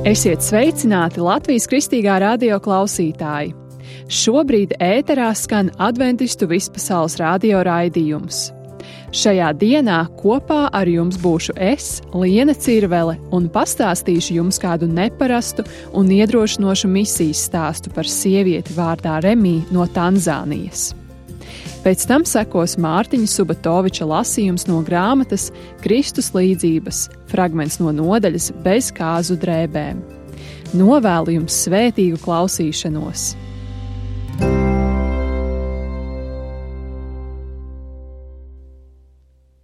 Esiet sveicināti Latvijas Kristīgā radio klausītāji! Šobrīd ēterā skan Adventistu vispasaules radio raidījums. Šajā dienā kopā ar jums būšu es, Liene Cirvele, un pastāstīšu jums kādu neparastu un iedrošinošu misijas stāstu par sievieti vārdā Remija no Tanzānijas. Pēc tam sekos Mārtiņa Subatoviča lasījums no grāmatas Kristus līdzības, fragments no nodaļas Bez kāzu drēbēm. Novēlu jums svētīgu klausīšanos!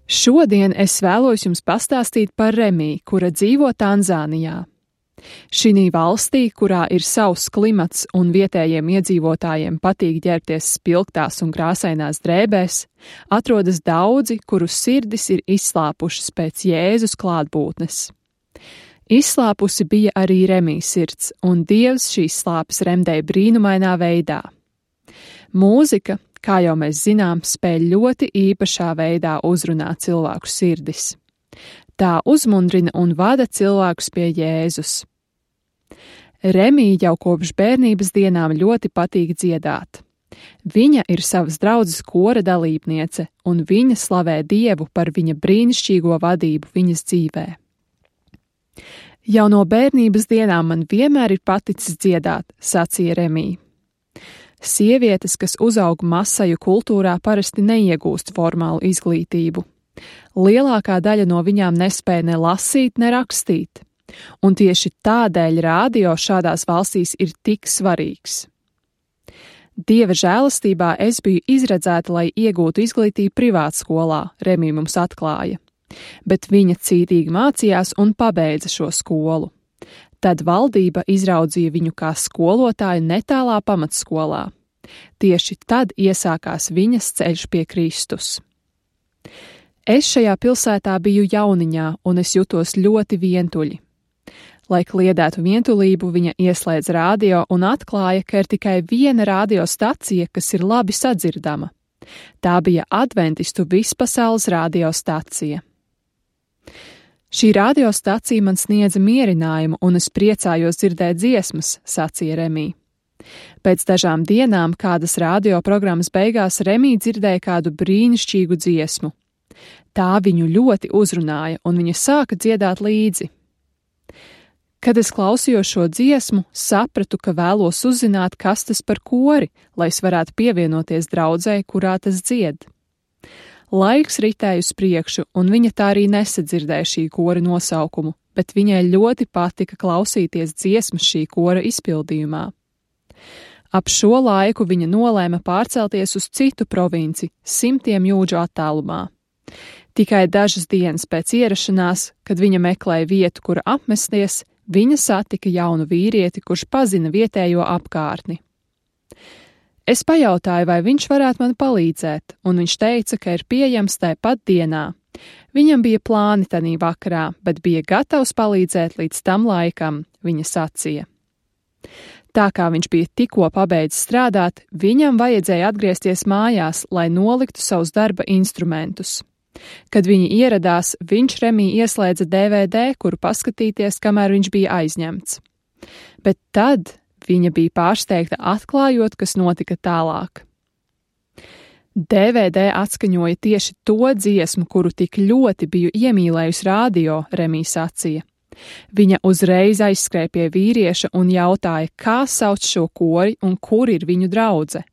Šodien es vēlos jums pastāstīt par Remiju, kura dzīvo Tanzānijā. Šī valstī, kurā ir savs klimats un vietējiem iedzīvotājiem patīk ģērbties spilgtās un krāsainās drēbēs, atrodas daudzi, kuru sirdis ir izslāpušas pēc Jēzus klātbūtnes. Izslāpusi bija arī Remijas sirds, un Dievs šīs slāpes remdēja brīnumainā veidā. Mūzika, kā jau mēs zinām, spēj ļoti īpašā veidā uzrunāt cilvēku sirdis. Tā uzmundrina un vada cilvēkus pie Jēzus. Remija jau kopš bērnības dienām ļoti patīk dziedāt. Viņa ir savas draudzes kora dalībniece, un viņa slavē Dievu par viņa brīnišķīgo vadību viņas dzīvē. Jau no bērnības dienām man vienmēr ir paticis dziedāt, sacīja Remija. Sievietes, kas uzaug masaju kultūrā, parasti neiegūst formālu izglītību. Lielākā daļa no viņām nespēja ne lasīt, ne rakstīt, un tieši tādēļ radio šādās valstīs ir tik svarīgs. Dieva žēlastībā es biju izredzēta, lai iegūtu izglītību privātskolā, Remija mums atklāja, bet viņa cītīgi mācījās un pabeidza šo skolu. Tad valdība izraudzīja viņu kā skolotāju netālā pamatskolā. Tieši tad iesākās viņas ceļš pie Kristus. Es šajā pilsētā biju jauniņā, un es jutos ļoti vientuļi. Lai kliedētu vientulību, viņa ieslēdz radio un atklāja, ka ir tikai viena radiostacija, kas ir labi sadzirdama. Tā bija Adventistu vispasaules radiostacija. Šī radiostacija man sniedza mierinājumu, un es priecājos dzirdēt dziesmas, sacīja Remija. Pēc dažām dienām, kādas radioprogrammas beigās, Remija dzirdēja kādu brīnišķīgu dziesmu. Tā viņu ļoti uzrunāja, un viņa sāka dziedāt līdzi. Kad es klausījos šo dziesmu, sapratu, ka vēlos uzzināt, kas tas par kori, lai es varētu pievienoties draudzei, kurā tas dzied. Laiks ritēja uz priekšu, un viņa tā arī nesadzirdēja šī kora nosaukumu, bet viņai ļoti patika klausīties dziesmas šī kora izpildījumā. Ap šo laiku viņa nolēma pārcelties uz citu provinci, 100 jūdžu attālumā. Tikai dažas dienas pēc ierašanās, kad viņa meklēja vietu, kur apmesties, viņa satika jaunu vīrieti, kurš pazina vietējo apkārtni. Es pajautāju, vai viņš varētu man palīdzēt, un viņš teica, ka ir pieejams tāpat dienā. Viņam bija plāni tanī vakarā, bet bija gatavs palīdzēt līdz tam laikam, viņa sacīja. Tā kā viņš bija tikko pabeidzis strādāt, viņam vajadzēja atgriezties mājās, lai noliktu savus darba instrumentus. Kad viņi ieradās, viņš Remiju ieslēdza DVD, kuru paskatīties, kamēr viņš bija aizņemts. Bet tad viņa bija pārsteigta atklājot, kas notika tālāk. DVD atskaņoja tieši to dziesmu, kuru tik ļoti biju iemīlējusi radio, Remija sacīja. Viņa uzreiz aizskrēja pie vīrieša un jautāja, kā sauc šo kori un kur ir viņu draudze.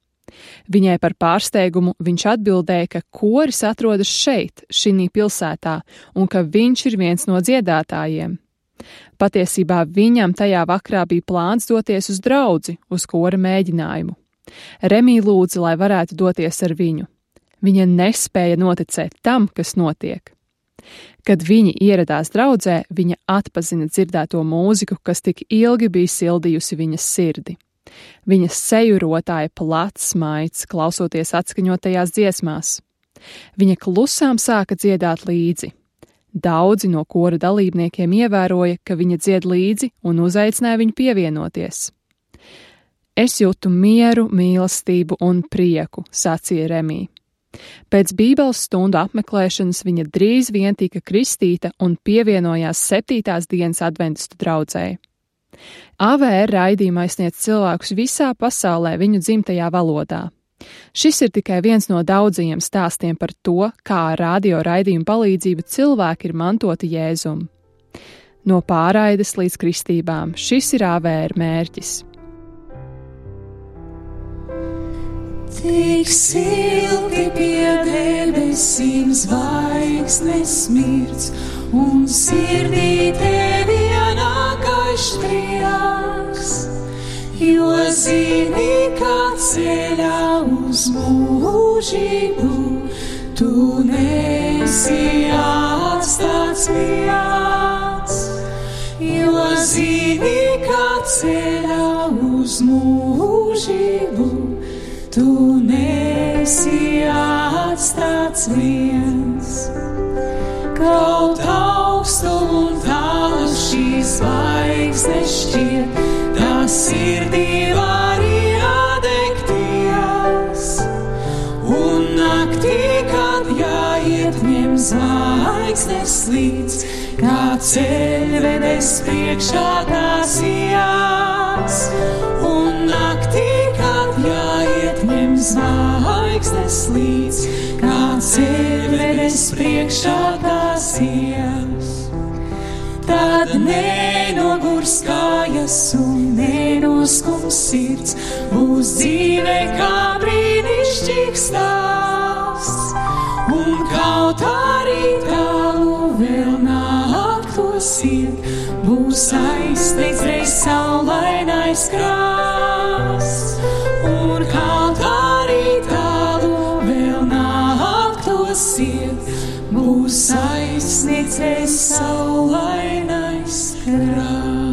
Viņai par pārsteigumu viņš atbildēja, ka koris atrodas šeit, šī pilsētā, un ka viņš ir viens no dziedātājiem. Patiesībā viņam tajā vakarā bija plāns doties uz draudzi, uz kora mēģinājumu. Remija lūdza, lai varētu doties ar viņu. Viņa nespēja noticēt tam, kas notiek. Kad viņi ieradās draudzē, viņa atpazina dzirdēto mūziku, kas tik ilgi bija sildījusi viņas sirdi. Viņas seju rotāja plats smaids, klausoties atskaņotajās dziesmās. Viņa klusām sāka dziedāt līdzi. Daudzi no kora dalībniekiem ievēroja, ka viņa dzied līdzi un uzaicināja viņu pievienoties. Es jūtu mieru, mīlestību un prieku, sacīja Remija. Pēc Bībeles stundu apmeklēšanas viņa drīz vien tika kristīta un pievienojās 7. dienas adventistu draudzei. AVR raidījuma aizsniedz cilvēkus visā pasaulē viņu dzimtajā valodā. Šis ir tikai viens no daudzajiem stāstiem par to, kā ar radio raidījumu palīdzību cilvēki ir mantoti Jēzum. No pārraides līdz kristībām šis ir AVR mērķis. Tik silti pie debesīm zvaigznes smirds, un sirdī tevi ienākais prieks, jo zini, kā ceļā uz mūžību tu nesi atstāts viens, jo zini, kā ceļā uz mūžību tu nesi atstāts viens. Kaut augstu un tālu šīs zvaigznes šķiet, tā sirdī var iedegties. Un naktī, kad jāiet ņem zvaigznes līdz, kā ceļvedes priekšā tās jās. Un naktī, kad jāiet ņem zvaigznes līdz, kā ceļvedes priekšā tās jās. Tad nenogurs kājas un nenoskums sirds, būs dzīve kā brīnišķīgs stāsts. Un kaut arī tālu vēl naktos iet, būs aizsniegts reiz saulainais krasts. Un kaut arī tālu vēl naktos iet, būs aizsniegts reiz saulainais krasts.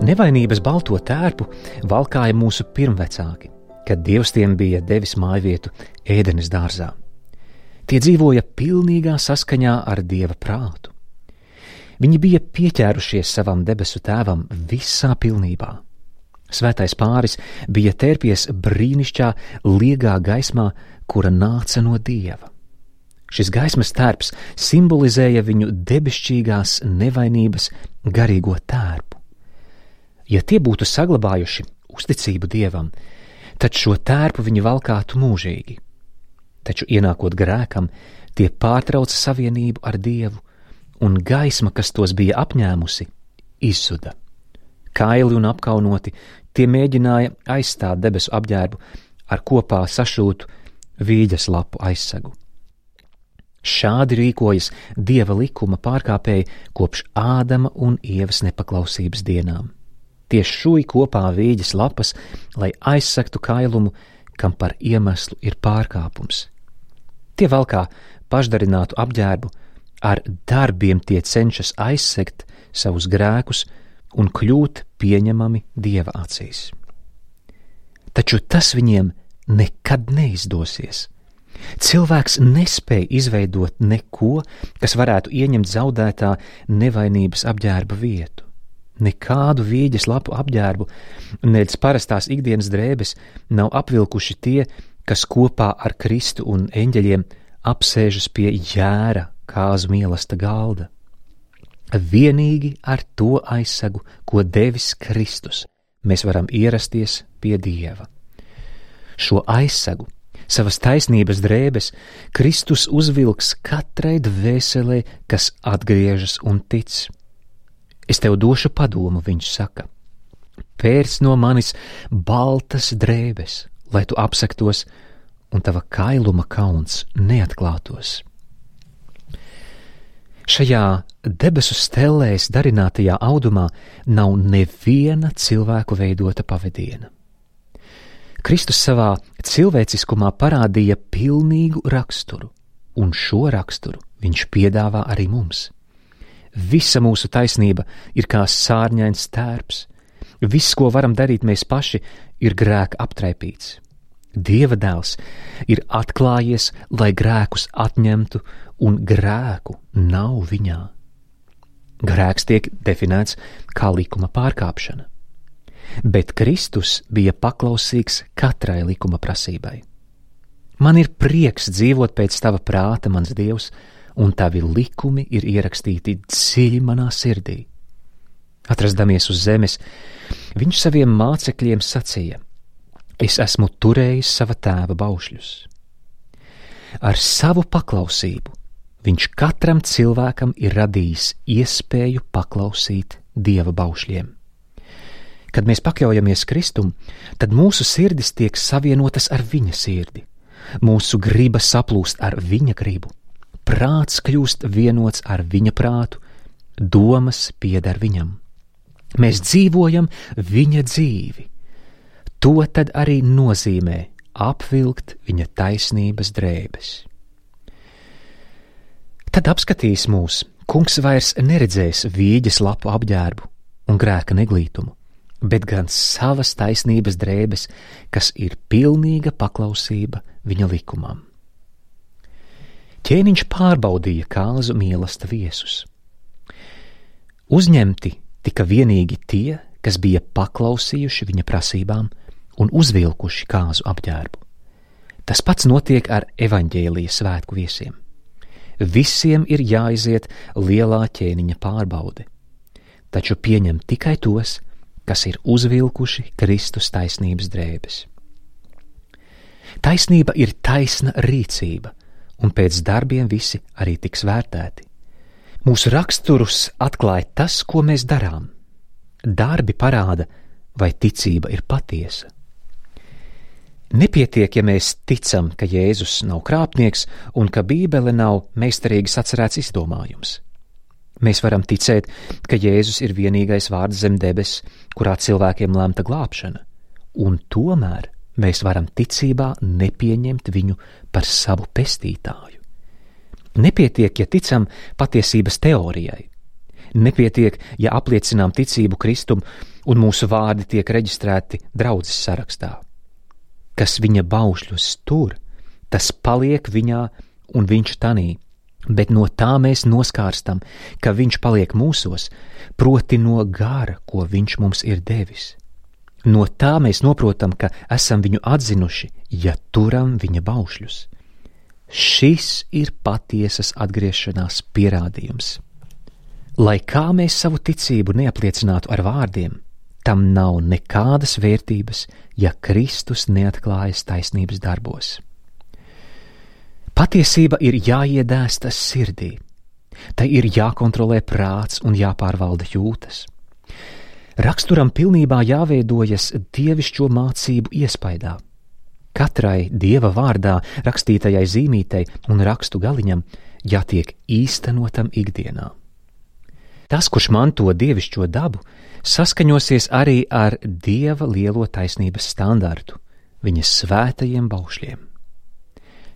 Nevainības balto tērpu valkāja mūsu pirmvecāki, kad Dievs tiem bija devis mājvietu Ēdenes dārzā. Tie dzīvoja pilnīgā saskaņā ar Dieva prātu. Viņi bija pieķērušies savam debesu tēvam visā pilnībā. Svētais pāris bija tērpies brīnišķā liegā gaismā, kura nāca no Dieva. Šis gaismas tērps simbolizēja viņu debesšķīgās nevainības garīgo tērpu. Ja tie būtu saglabājuši uzticību Dievam, tad šo tērpu viņi valkātu mūžīgi. Taču ienākot grēkam, tie pārtrauca savienību ar Dievu, un gaisma, kas tos bija apņēmusi, izzuda. Kaili un apkaunoti, tie mēģināja aizstāt debesu apģērbu ar kopā sašūtu vīģes lapu aizsegu. Šādi rīkojas Dieva likuma pārkāpēji kopš Ādama un Ievas nepaklausības dienām. Tie šūj kopā vīģes lapas, lai aizsegtu kailumu, kam par iemeslu ir pārkāpums. Tie valkā pašdarinātu apģērbu, ar darbiem tie cenšas aizsegt savus grēkus un kļūt pieņemami Dieva acīs. Taču tas viņiem nekad neizdosies. Cilvēks nespēj izveidot neko, kas varētu ieņemt zaudētā nevainības apģērba vietu. nekādu vīģes lapu apģērbu, nedz parastās ikdienas drēbes nav apvilkuši tie, kas kopā ar Kristu un eņģeļiem apsēžas pie jēra kāzu mīlesta galda. Vienīgi ar to aizsegu, ko devis Kristus, mēs varam ierasties pie Dieva. Šo aizsegu, savas taisnības drēbes, Kristus uzvilks katrai dvēselē, kas atgriežas un tic. Es tev došu padomu, viņš saka. Pērc no manis baltas drēbes, lai tu apsektos, un tava kailuma kauns neatklātos. Šajā debesu stellēs darinātajā audumā nav neviena cilvēku veidota pavadiena. Kristus savā cilvēciskumā parādīja pilnīgu raksturu, un šo raksturu viņš piedāvā arī mums. Visa mūsu taisnība ir kā sārņains tērps. Viss, ko varam darīt mēs paši, ir grēka aptraipīts. Dieva dēls ir atklājies, lai grēkus atņemtu, un grēku nav viņā. Grēks tiek definēts kā likuma pārkāpšana, bet Kristus bija paklausīgs katrai likuma prasībai. Man ir prieks dzīvot pēc tava prāta, mans Dievs, un tavi likumi ir ierakstīti dziļi manā sirdī. Atrasdamies uz zemes, viņš saviem mācekļiem sacīja: Es esmu turējis sava tēva baušļus. Ar savu paklausību viņš katram cilvēkam ir radījis iespēju paklausīt Dieva baušļiem. Kad mēs pakļaujamies Kristum, tad mūsu sirdis tiek savienotas ar viņa sirdi, mūsu griba saplūst ar viņa gribu, prāts kļūst vienots ar viņa prātu, domas pieder viņam. Mēs dzīvojam viņa dzīvi. To tad arī nozīmē apvilkt viņa taisnības drēbes. Tad apskatīs mūs, kungs vairs neredzēs vīģes lapu apģērbu un grēka neglītumu, bet gan savas taisnības drēbes, kas ir pilnīga paklausība viņa likumam. Ķēniņš pārbaudīja kāzu mīlesta viesus. Uzņemti tika vienīgi tie, kas bija paklausījuši viņa prasībām un uzvilkuši kāzu apģērbu. Tas pats notiek ar evaņģēlija svētku viesiem. Visiem ir jāiziet lielā ķēniņa pārbaude, taču pieņem tikai tos, kas ir uzvilkuši Kristus taisnības drēbes. Taisnība ir taisna rīcība, un pēc darbiem visi arī tiks vērtēti. Mūsu raksturus atklāja tas, ko mēs darām. Darbi parāda, vai ticība ir patiesa. Nepietiek, ja mēs ticam, ka Jēzus nav krāpnieks un ka Bībele nav meistarīgi sacerēts izdomājums. Mēs varam ticēt, ka Jēzus ir vienīgais vārds zem debes, kurā cilvēkiem lemta glābšana, un tomēr mēs varam ticībā nepieņemt viņu par savu pestītāju. Nepietiek, ja ticam patiesības teorijai. Nepietiek, ja apliecinām ticību Kristum un mūsu vārdi tiek reģistrēti draudzes sarakstā. Kas viņa baušļus tur, tas paliek viņā un viņš tanī, bet no tā mēs noskārstam, ka viņš paliek mūsos, proti no gara, ko viņš mums ir devis. No tā mēs noprotam, ka esam viņu atzinuši, ja turam viņa baušļus. Šis ir patiesas atgriešanās pierādījums. Lai kā mēs savu ticību neapliecinātu ar vārdiem, tam nav nekādas vērtības, ja Kristus neatklājas taisnības darbos. Patiesība ir jāiedēsta sirdī, tai ir jākontrolē prāts un jāpārvalda jūtas. Raksturam pilnībā jāveidojas dievišķo mācību iespaidā. Katrai Dieva vārdā rakstītajai zīmītei un rakstu galiņam jātiek īstenotam ikdienā. Tas, kurš manto dievišķo dabu, saskaņosies arī ar Dieva lielo taisnības standartu, viņa svētajiem baušļiem.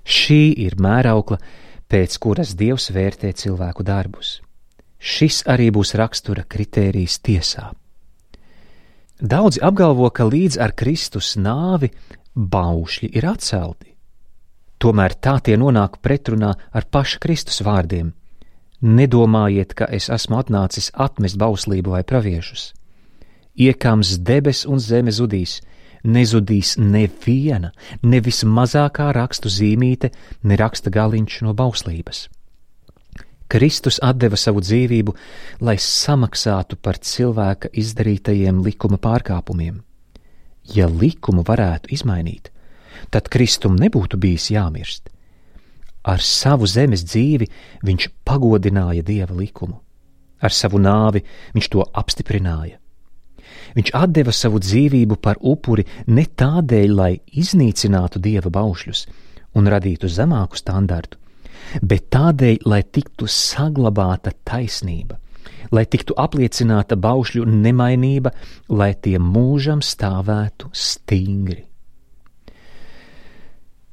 Šī ir mēraukla, pēc kuras Dievs vērtē cilvēku darbus. Šis arī būs rakstura kritērijs tiesā. Daudzi apgalvo, ka līdz ar Kristus nāvi baušļi ir atcelti. Tomēr tā tie nonāk pretrunā ar paša Kristus vārdiem. Nedomājiet, ka es esmu atnācis atmest bauslību vai praviešus. Iekams debes un zeme zudīs, nezudīs neviena, ne vismazākā rakstu zīmīte, ne raksta galiņš no bauslības. Kristus atdeva savu dzīvību, lai samaksātu par cilvēka izdarītajiem likuma pārkāpumiem. Ja likumu varētu izmainīt, tad Kristum nebūtu bijis jāmirst. Ar savu zemes dzīvi viņš pagodināja Dieva likumu. Ar savu nāvi viņš to apstiprināja. Viņš atdeva savu dzīvību par upuri ne tādēļ, lai iznīcinātu Dieva baušļus un radītu zemāku standartu, bet tādēļ, lai tiktu saglabāta taisnība, lai tiktu apliecināta baušļu nemainība, lai tie mūžam stāvētu stingri.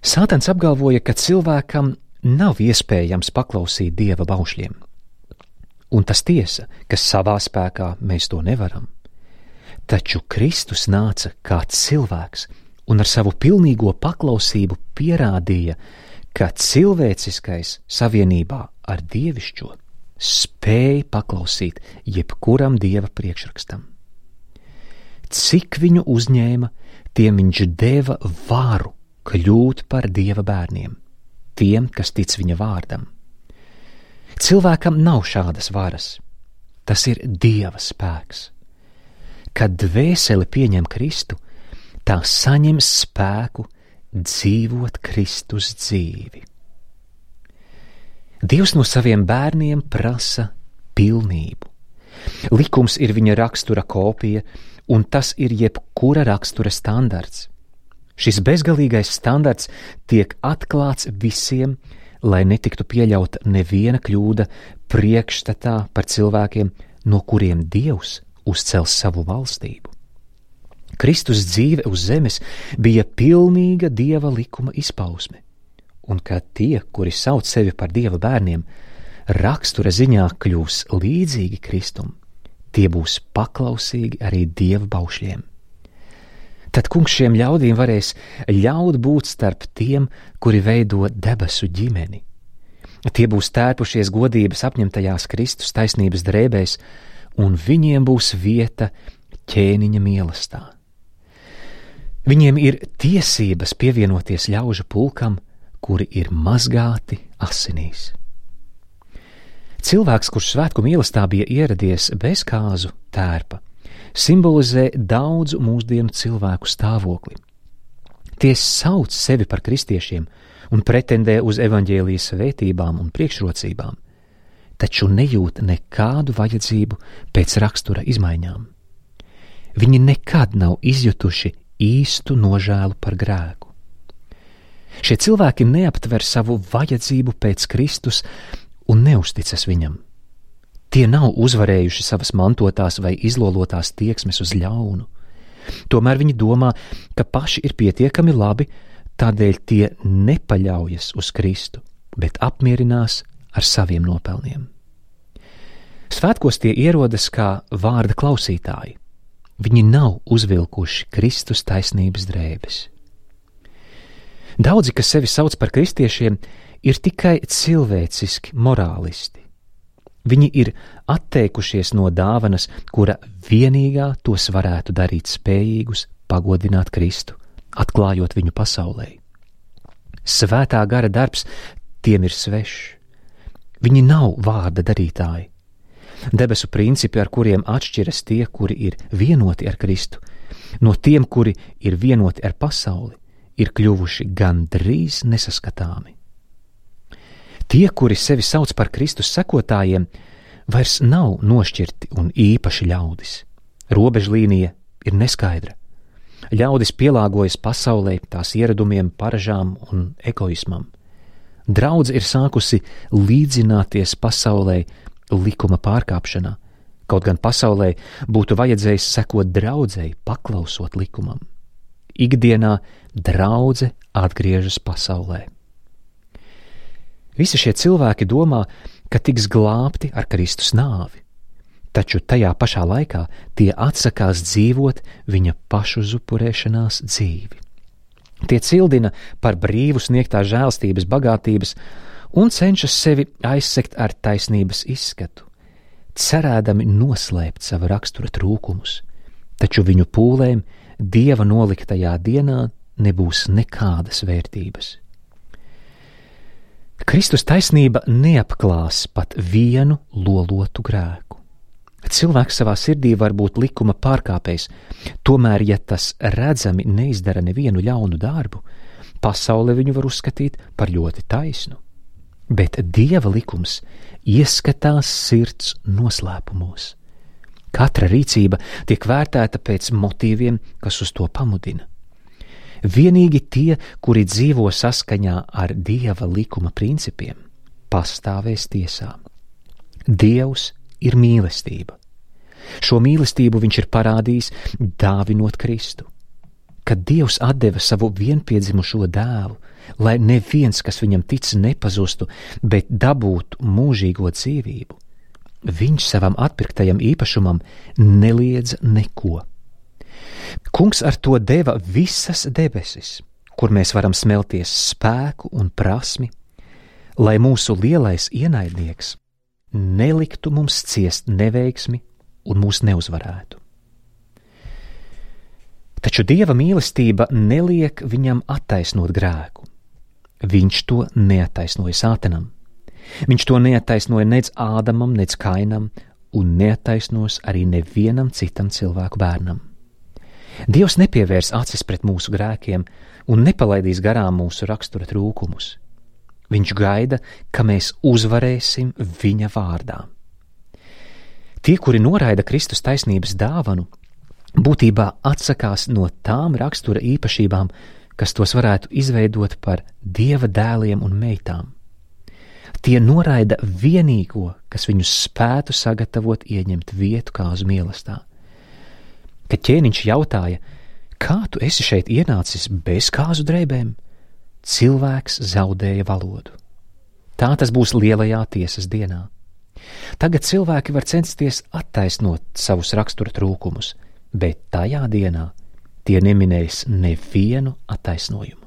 Sātans apgalvoja, ka cilvēkam nav iespējams paklausīt Dieva baušļiem. Un tas tiesa, ka savā spēkā mēs to nevaram. Taču Kristus nāca kā cilvēks un ar savu pilnīgo paklausību pierādīja, ka cilvēciskais savienībā ar dievišķo spēj paklausīt jebkuram Dieva priekšrakstam. Cik viņu uzņēma, tiem viņš deva varu kļūt par Dieva bērniem, tiem, kas tic viņa vārdam. Cilvēkam nav šādas varas. Tas ir Dieva spēks. Kad dvēsele pieņem Kristu, tā saņem spēku dzīvot Kristus dzīvi. Dievs no saviem bērniem prasa pilnību. Likums ir viņa rakstura kopija, un tas ir jebkura rakstura standarts. Šis bezgalīgais standarts tiek atklāts visiem, lai netiktu pieļauta neviena kļūda priekšstatā par cilvēkiem, no kuriem Dievs uzcels savu valstību. Kristus dzīve uz zemes bija pilnīga Dieva likuma izpausme, un kad tie, kuri sauc sevi par Dieva bērniem, rakstura ziņā kļūs līdzīgi Kristum, tie būs paklausīgi arī Dieva baušļiem. Tad kungs šiem ļaudīm varēs ļaut būt starp tiem, kuri veido debesu ģimeni. Tie būs tērpušies godības apņemtajās Kristus taisnības drēbēs, un viņiem būs vieta ķēniņa mīlestā. Viņiem ir tiesības pievienoties ļaužu pulkam, kuri ir mazgāti asinīs. Cilvēks, kurš svētku mīlestā bija ieradies bez kāzu tērpa, simbolizē daudzu mūsdienu cilvēku stāvokli. Tie sauc sevi par kristiešiem un pretendē uz evaņģēlijas svētībām un priekšrocībām, taču nejūt nekādu vajadzību pēc rakstura izmaiņām. Viņi nekad nav izjutuši īstu nožēlu par grēku. Šie cilvēki neaptver savu vajadzību pēc Kristus un neusticas viņam. Tie nav uzvarējuši savas mantotās vai izlolotās tieksmes uz ļaunu. Tomēr viņi domā, ka paši ir pietiekami labi, tādēļ tie nepaļaujas uz Kristu, bet apmierinās ar saviem nopelniem. Svētkos tie ierodas kā vārda klausītāji. Viņi nav uzvilkuši Kristus taisnības drēbes. Daudzi, kas sevi sauc par kristiešiem, ir tikai cilvēciski morālisti. Viņi ir atteikušies no dāvanas, kura vienīgā tos varētu darīt spējīgus pagodināt Kristu, atklājot viņu pasaulē. Svētā gara darbs tiem ir svešs. Viņi nav vārda darītāji. Debesu principi, ar kuriem atšķiras tie, kuri ir vienoti ar Kristu, no tiem, kuri ir vienoti ar pasauli, ir kļuvuši gandrīz nesaskatāmi. Tie, kuri sevi sauc par Kristus sekotājiem, vairs nav nošķirti un īpaši ļaudis. Robežlīnija ir neskaidra. Ļaudis pielāgojas pasaulē, tās ieradumiem, paražām un egoismam. Draudze ir sākusi līdzināties pasaulē likuma pārkāpšanā, kaut gan pasaulē būtu vajadzējis sekot draudzei, paklausot likumam. Ikdienā draudze atgriežas pasaulē. Visi šie cilvēki domā, ka tiks glābti ar Kristus nāvi, taču tajā pašā laikā tie atsakās dzīvot viņa pašuzupurēšanās dzīvi. Tie cildina par brīvu sniegtā žēlstības bagātības un cenšas sevi aizsegt ar taisnības izskatu, cerēdami noslēpt sava rakstura trūkumus, taču viņu pūlēm Dieva noliktajā dienā nebūs nekādas vērtības. Kristus taisnība neapklās pat vienu lolotu grēku. Cilvēks savā sirdī var būt likuma pārkāpējs, tomēr, ja tas redzami neizdara nevienu ļaunu darbu, pasaule viņu var uzskatīt par ļoti taisnu. Bet Dieva likums ieskatās sirds noslēpumos. Katra rīcība tiek vērtēta pēc motīviem, kas uz to pamudina. Vienīgi tie, kuri dzīvo saskaņā ar Dieva likuma principiem, pastāvēs tiesā. Dievs ir mīlestība. Šo mīlestību viņš ir parādījis, dāvinot Kristu. Kad Dievs atdeva savu vienpiedzimušo dēlu, lai neviens, kas viņam tic, nepazustu, bet dabūtu mūžīgo dzīvību, viņš savam atpirktajam īpašumam neliedza neko. Kungs ar to deva visas debesis, kur mēs varam smelties spēku un prasmi, lai mūsu lielais ienaidnieks neliktu mums ciest neveiksmi un mūs neuzvarētu. Taču Dieva mīlestība neliek viņam attaisnot grēku. Viņš to neattaisnoja Sātanam. Viņš to neattaisnoja nec Ādamam, nec Kainam un neattaisnos arī nevienam citam cilvēku bērnam. Dievs nepievērs acis pret mūsu grēkiem un nepalaidīs garām mūsu rakstura trūkumus. Viņš gaida, ka mēs uzvarēsim viņa vārdā. Tie, kuri noraida Kristus taisnības dāvanu, būtībā atsakās no tām rakstura īpašībām, kas tos varētu izveidot par Dieva dēliem un meitām. Tie noraida vienīgo, kas viņus spētu sagatavot ieņemt vietu kāzu mīlestā. Kad ķēniņš jautāja, kā tu esi šeit ienācis bez kāzu drēbēm, cilvēks zaudēja valodu. Tā tas būs lielajā tiesas dienā. Tagad cilvēki var censties attaisnot savus rakstura trūkumus, bet tajā dienā tie neminēs nevienu attaisnojumu.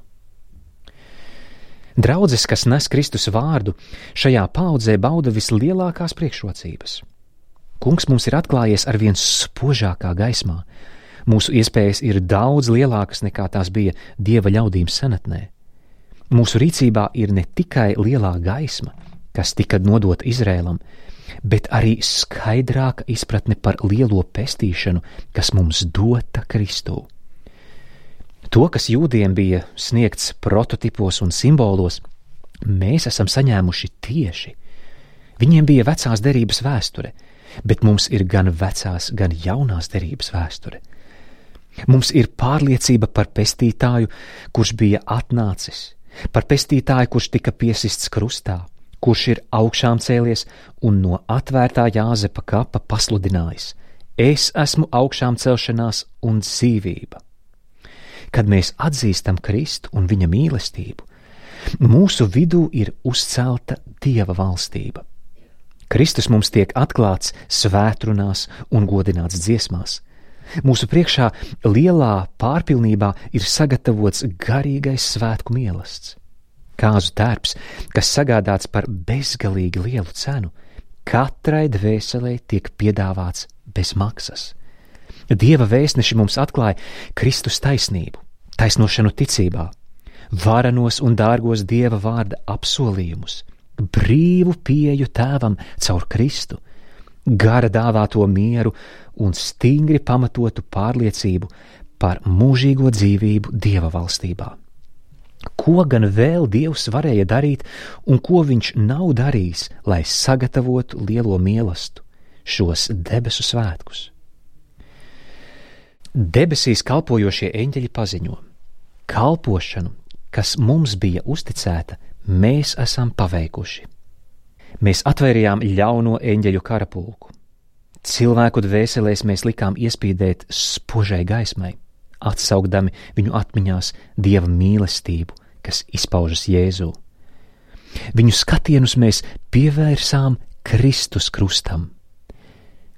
Draudzes, kas nes Kristus vārdu, šajā paaudzē bauda vislielākās priekšrocības. Kungs mums ir atklājies arvien spožākā gaismā. Mūsu iespējas ir daudz lielākas nekā tās bija Dieva ļaudīm senatnē. Mūsu rīcībā ir ne tikai lielā gaisma, kas tika nodota Izrēlam, bet arī skaidrāka izpratne par lielo pestīšanu, kas mums dota Kristū. To, kas jūdiem bija sniegts prototipos un simbolos, mēs esam saņēmuši tieši. Viņiem bija vecās derības vēsture, bet mums ir gan vecās, gan jaunās derības vēsture. Mums ir pārliecība par pestītāju, kurš bija atnācis, par pestītāju, kurš tika piesists krustā, kurš ir augšām cēlies un no atvērtā Jāzepa kapa pasludinājis: Es esmu augšām celšanās un dzīvība. Kad mēs atzīstam Kristu un viņa mīlestību, mūsu vidū ir uzcelta Dieva valstība. Kristus mums tiek atklāts svētrunās un godināts dziesmās. Mūsu priekšā lielā pārpilnībā ir sagatavots garīgais svētku mielasts. Kāzu tērps, kas sagādāts par bezgalīgi lielu cenu, katrai dvēselē tiek piedāvāts bez maksas. Dieva vēstneši mums atklāja Kristus taisnību, taisnošanu ticībā, varenos un dārgos Dieva vārda apsolījumus, brīvu pieeju Tēvam caur Kristu, gara dāvāto mieru un stingri pamatotu pārliecību par mūžīgo dzīvību Dieva valstībā. Ko gan vēl Dievs varēja darīt un ko viņš nav darījis, lai sagatavotu lielo mielastu, šos debesu svētkus? Debesīs kalpojošie eņģeļi paziņo: kalpošanu, kas mums bija uzticēta, mēs esam paveikuši. Mēs atvērījām ļauno eņģeļu karapulku. Cilvēku dvēselēs mēs likām iespīdēt spožai gaismai, atsaugdami viņu atmiņās Dieva mīlestību, kas izpaužas Jēzū. Viņu skatienus mēs pievērsām Kristus krustam.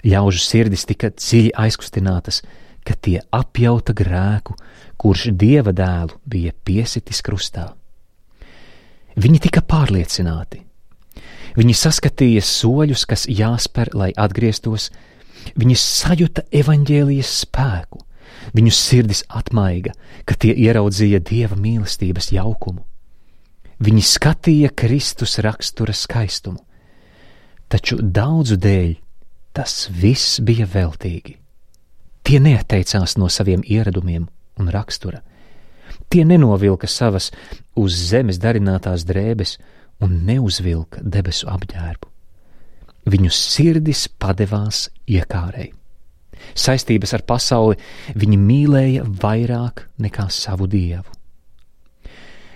Ļaužu sirdis tika dziļi aizkustinātas, ka tie apjauta grēku, kurš Dieva dēlu bija piesitis krustā. Viņi tika pārliecināti. Viņi saskatīja soļus, kas jāspēr, lai atgrieztos. Viņi sajuta evaņģēlijas spēku. Viņu sirdis atmaiga, ka tie ieraudzīja Dieva mīlestības jaukumu. Viņi skatīja Kristus rakstura skaistumu. Taču daudzu dēļ tas viss bija veltīgi. Tie neatteicās no saviem ieradumiem un rakstura. Tie nenovilka savas uz zemes darinātās drēbes un neuzvilka debesu apģērbu. Viņu sirdis padevās iekārei. Saistības ar pasauli viņi mīlēja vairāk nekā savu Dievu.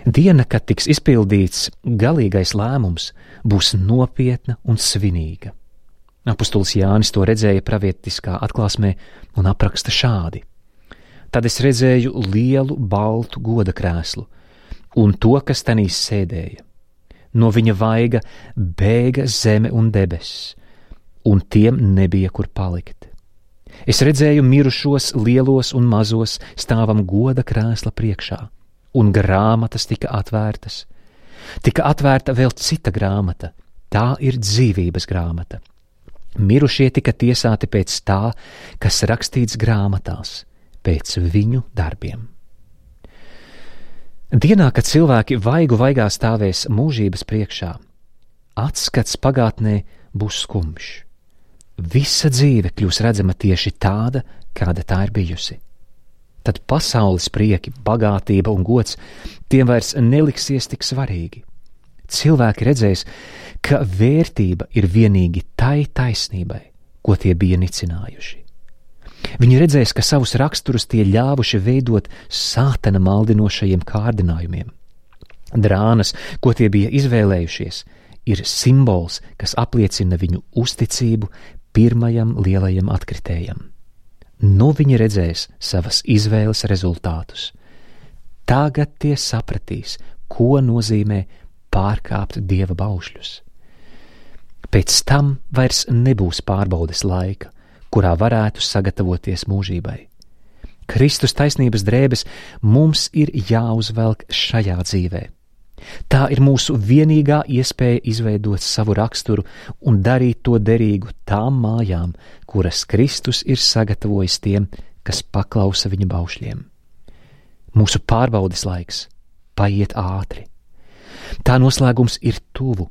Diena, kad tiks izpildīts galīgais lēmums, būs nopietna un svinīga. Apostols Jānis to redzēja pravietiskā atklāsmē un apraksta šādi. Tad es redzēju lielu baltu goda krēslu un to, kas tanī sēdēja. No viņa vaiga bēga zeme un debesis, un tiem nebija kur palikt. Es redzēju mirušos lielos un mazos stāvam goda krēsla priekšā, un grāmatas tika atvērtas. Tika atvērta vēl cita grāmata, tā ir dzīvības grāmata. Mirušie tika tiesāti pēc tā, kas rakstīts grāmatās, pēc viņu darbiem. Dienā, kad cilvēki vaigu vaigā stāvēs mūžības priekšā, atskats pagātnē būs skumjš. Visa dzīve kļūs redzama tieši tāda, kāda tā ir bijusi. Tad pasaules prieki, bagātība un gods tiem vairs neliksies tik svarīgi. Cilvēki redzēs, ka vērtība ir vienīgi tai taisnībai, ko tie bija nicinājuši. Viņi redzēs, ka savus raksturus tie ļāvuši veidot sātana maldinošajiem kārdinājumiem. Drānas, ko tie bija izvēlējušies, ir simbols, kas apliecina viņu uzticību pirmajam lielajam atkritējam. Nu viņi redzēs savas izvēles rezultātus. Tagad tie sapratīs, ko nozīmē pārkāpt Dieva baušļus. Pēc tam vairs nebūs pārbaudes laika, kurā varētu sagatavoties mūžībai. Kristus taisnības drēbes mums ir jāuzvelk šajā dzīvē. Tā ir mūsu vienīgā iespēja izveidot savu raksturu un darīt to derīgu tām mājām, kuras Kristus ir sagatavojis tiem, kas paklausa viņa baušļiem. Mūsu pārbaudes laiks paiet ātri. Tā noslēgums ir tuvu.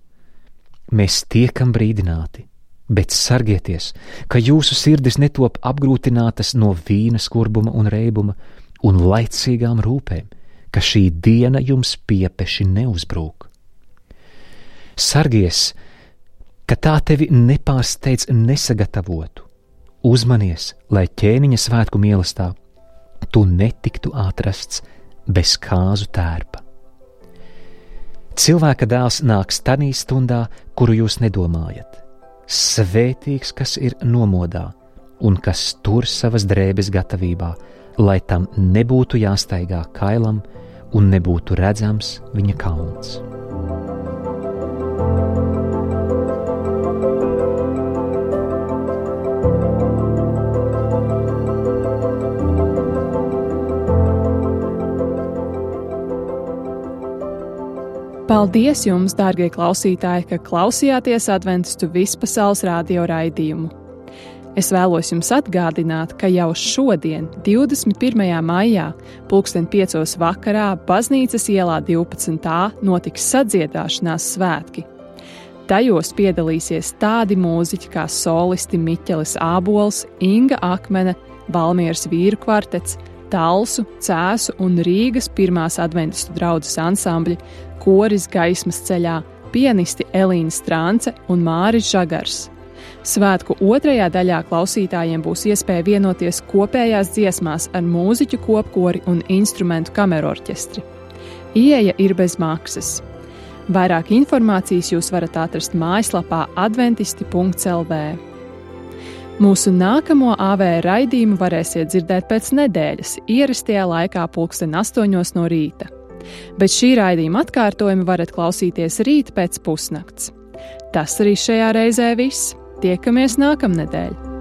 Mēs tiekam brīdināti, bet sargieties, ka jūsu sirdis netop apgrūtinātas no vīna skurbuma un reibuma un laicīgām rūpēm, ka šī diena jums piepeši neuzbrūk. Sargies, ka tā tevi nepārsteidz nesagatavotu. Uzmanies, lai ķēniņa svētku mīlestā tu netiktu atrasts bez kāzu tērpa. Cilvēka dēls nāks tanī stundā, kuru jūs nedomājat. Svētīgs, kas ir nomodā un kas tur savas drēbes gatavībā, lai tam nebūtu jāstaigā kailam un nebūtu redzams viņa kauns. Paldies jums, dārgie klausītāji, ka klausījāties Adventistu vispasaules radio raidījumu. Es vēlos jums atgādināt, ka jau šodien, 21. maijā, 5:00 vakarā, Baznīcas ielā 12. notiks sadziedāšanās svētki. Tajos piedalīsies tādi mūziķi kā solisti Miķelis Ābols, Inga Akmene, Valmieras vīru kvartets, Talsu, Cēsu un Rīgas pirmās adventistu draudzes ansambļi, koris Gaismas ceļā, pianisti Elīna Strānce un Māris Žagars. Svētku otrajā daļā klausītājiem būs iespēja vienoties kopējās dziesmās ar mūziķu kopkori un instrumentu kamerorķestri. Ieeja ir bez maksas. Vairāk informācijas jūs varat atrast mājaslapā adventisti.lv. Mūsu nākamo AV raidījumu varēsiet dzirdēt pēc nedēļas, ierastajā laikā 8:00 no rīta. Bet šī raidījuma atkārtojumu varat klausīties rīt pēc pusnakts. Tas arī šajā reizē viss. Tiekamies nākamnedēļ!